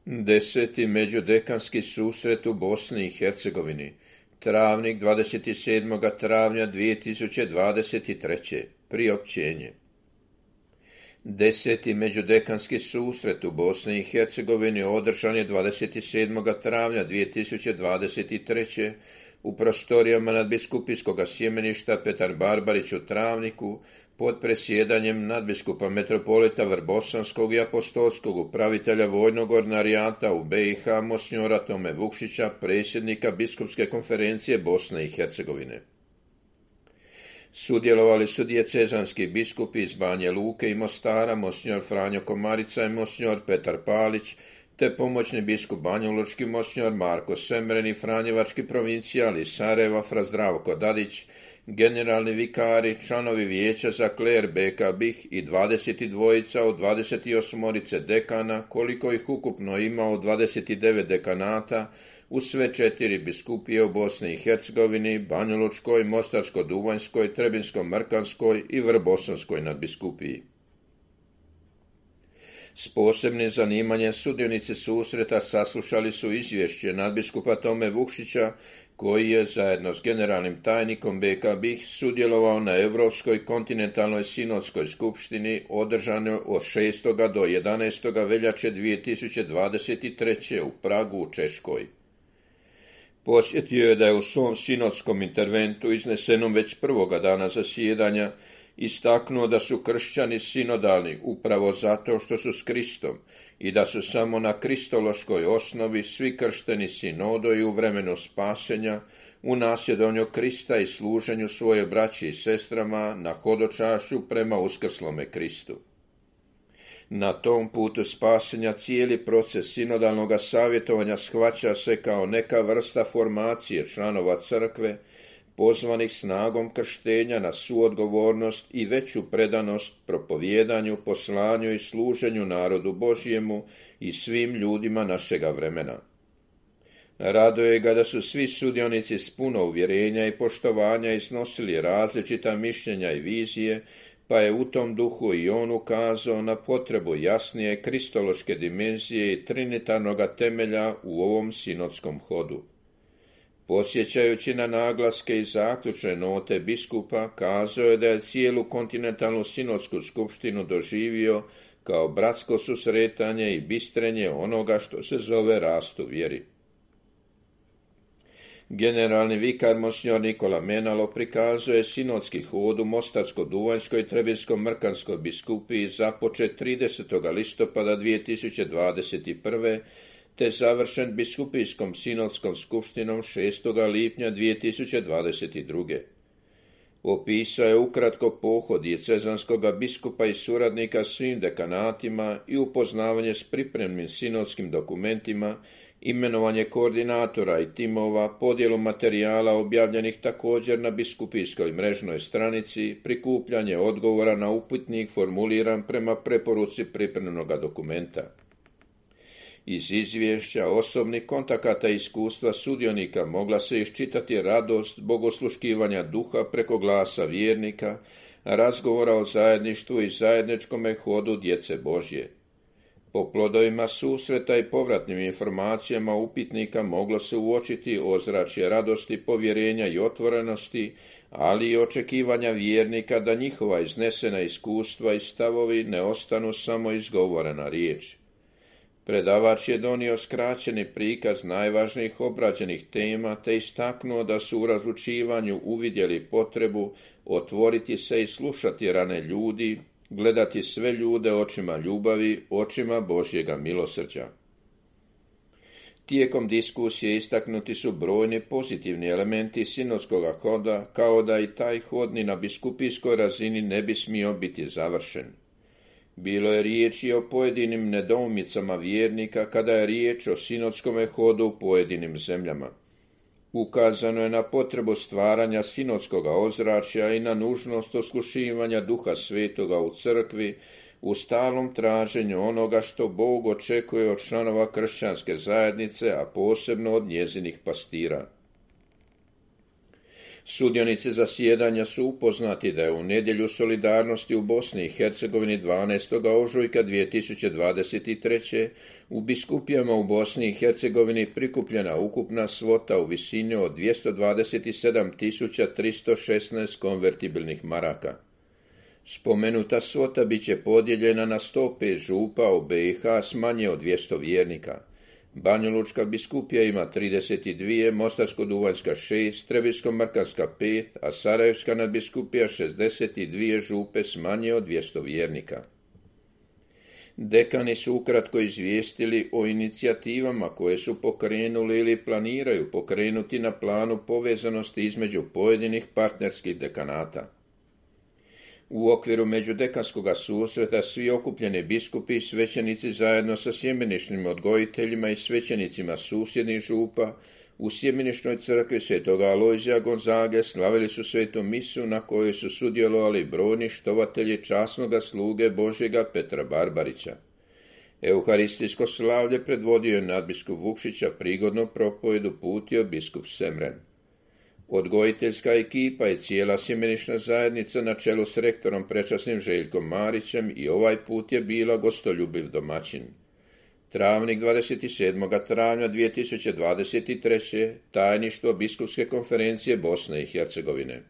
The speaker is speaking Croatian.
Deseti međudekanski susret u Bosni i Hercegovini. Travnik 27. travnja 2023. Priopćenje. Deseti međudekanski susret u Bosni i Hercegovini održan je 27. travnja 2023. u prostorijama nadbiskupijskog sjemeništa Petar Barbarić u Travniku pod presjedanjem nadbiskupa metropolita Vrbosanskog i apostolskog upravitelja vojnog ordinarijata u BiH monsinjora Tome Vukšića, predsjednika biskupske konferencije Bosne i Hercegovine. Sudjelovali su dijecezanski biskupi iz Banje Luke i Mostara, monsinjor Franjo Komarica i monsinjor Petar Palić, te pomoćni biskup banjalučki monsinjor Marko Semren i franjevački provincijal iz Sarajeva fra Zdravko Dadić, generalni vikari, članovi vijeća za kler BK BiH i 22 od 28 dekana, koliko ih ukupno ima od 29 dekanata, u sve 4 biskupije u Bosni i Hercegovini, Banjalučkoj, Mostarsko-Duvanjskoj, Trebinsko-Mrkanskoj i Vrbosanskoj nadbiskupiji. S posebnim zanimanjem sudionici susreta saslušali su izvješće nadbiskupa Tome Vukšića, koji je zajedno s generalnim tajnikom BK BiH sudjelovao na Europskoj kontinentalnoj sinodskoj skupštini održanoj od 6. do 11. veljače 2023. u Pragu u Češkoj. Podsjetio je da je u svom sinodskom interventu iznesenom već prvoga dana zasjedanja istaknuo da su kršćani sinodalni upravo zato što su s Kristom i da su samo na kristološkoj osnovi svi kršteni sinodoji u vremenu spasenja, u nasjedanju Krista i služenju svoje braći i sestrama na hodočašću prema uskrslome Kristu. Na tom putu spasenja cijeli proces sinodalnog savjetovanja shvaća se kao neka vrsta formacije članova crkve, pozvanih snagom krštenja na suodgovornost i veću predanost propovijedanju, poslanju i služenju narodu Božjemu i svim ljudima našega vremena. Raduje ga da su svi sudionici s puno uvjerenja i poštovanja iznosili različita mišljenja i vizije, pa je u tom duhu i on ukazao na potrebu jasnije kristološke dimenzije i trinitarnog temelja u ovom sinodskom hodu. Podsjećajući na naglaske i zaključne note biskupa, kazao je da je cijelu kontinentalnu sinodsku skupštinu doživio kao bratsko susretanje i bistrenje onoga što se zove rast u vjeri. Generalni vikar monsinjor Nikola Menalo prikazuje sinodski hod u Mostarsko-Duvanjskoj i Trebinsko-Mrkanskoj biskupiji započet 30. listopada 2021. te završen biskupijskom sinodskom skupštinom 6. lipnja 2022. Opisao je ukratko pohod dijecezanskog biskupa i suradnika svim dekanatima i upoznavanje s pripremnim sinodskim dokumentima, imenovanje koordinatora i timova, podjelu materijala objavljenih također na biskupijskoj mrežnoj stranici, prikupljanje odgovora na upitnik formuliran prema preporuci pripremnog dokumenta. Iz izvješća osobnih kontakata i iskustva sudionika mogla se iščitati radost bogosluškivanja duha preko glasa vjernika, razgovora o zajedništvu i zajedničkome hodu djece Božje. Po plodovima susreta i povratnim informacijama upitnika moglo se uočiti ozračje radosti, povjerenja i otvorenosti, ali i očekivanja vjernika da njihova iznesena iskustva i stavovi ne ostanu samo izgovorena riječ. Predavač je donio skraćeni prikaz najvažnijih obrađenih tema te istaknuo da su u razlučivanju uvidjeli potrebu otvoriti se i slušati rane ljudi, gledati sve ljude očima ljubavi, očima Božjega milosrđa. Tijekom diskusije istaknuti su brojni pozitivni elementi sinodskog hoda, kao da i taj hod ni na biskupijskoj razini ne bi smio biti završen. Bilo je riječi o pojedinim nedoumicama vjernika kada je riječ o sinodskom hodu u pojedinim zemljama. Ukazano je na potrebu stvaranja sinodskog ozračja i na nužnost oslušivanja Duha Svetoga u crkvi u stalnom traženju onoga što Bog očekuje od članova kršćanske zajednice, a posebno od njezinih pastira. Sudionici zasjedanja su upoznati da je u nedjelju solidarnosti u Bosni i Hercegovini 12. ožujka 2023. u biskupijama u Bosni i Hercegovini prikupljena ukupna svota u visini od 227.316 konvertibilnih maraka. Spomenuta svota bit će podijeljena na 105 župa u BiH s manje od 200 vjernika. Banjalučka biskupija ima 32, Mostarsko-duvanjska 6, Trebinsko-markanska 5, a Sarajevska nadbiskupija 62 župe s manje od 200 vjernika. Dekani su ukratko izvijestili o inicijativama koje su pokrenuli ili planiraju pokrenuti na planu povezanosti između pojedinih partnerskih dekanata. U okviru međudekanskog susreta svi okupljeni biskupi i svećenici zajedno sa sjemeničnim odgojiteljima i svećenicima susjednih župa u sjemeničnoj crkvi Svetoga Alojzija Gonzage slavili su svetu misu na kojoj su sudjelovali brojni štovatelji časnoga sluge Božjega Petra Barbarića. Euharistijsko slavlje predvodio je nadbiskup Vukšića, prigodnu propovedu putio biskup Semren. Odgojiteljska ekipa i cijela sjemenična zajednica na čelu s rektorom prečasnim Željkom Marićem i ovaj put je bila gostoljubiv domaćin. Travnik 27. travnja 2023. Tajništvo Biskupske konferencije Bosne i Hercegovine.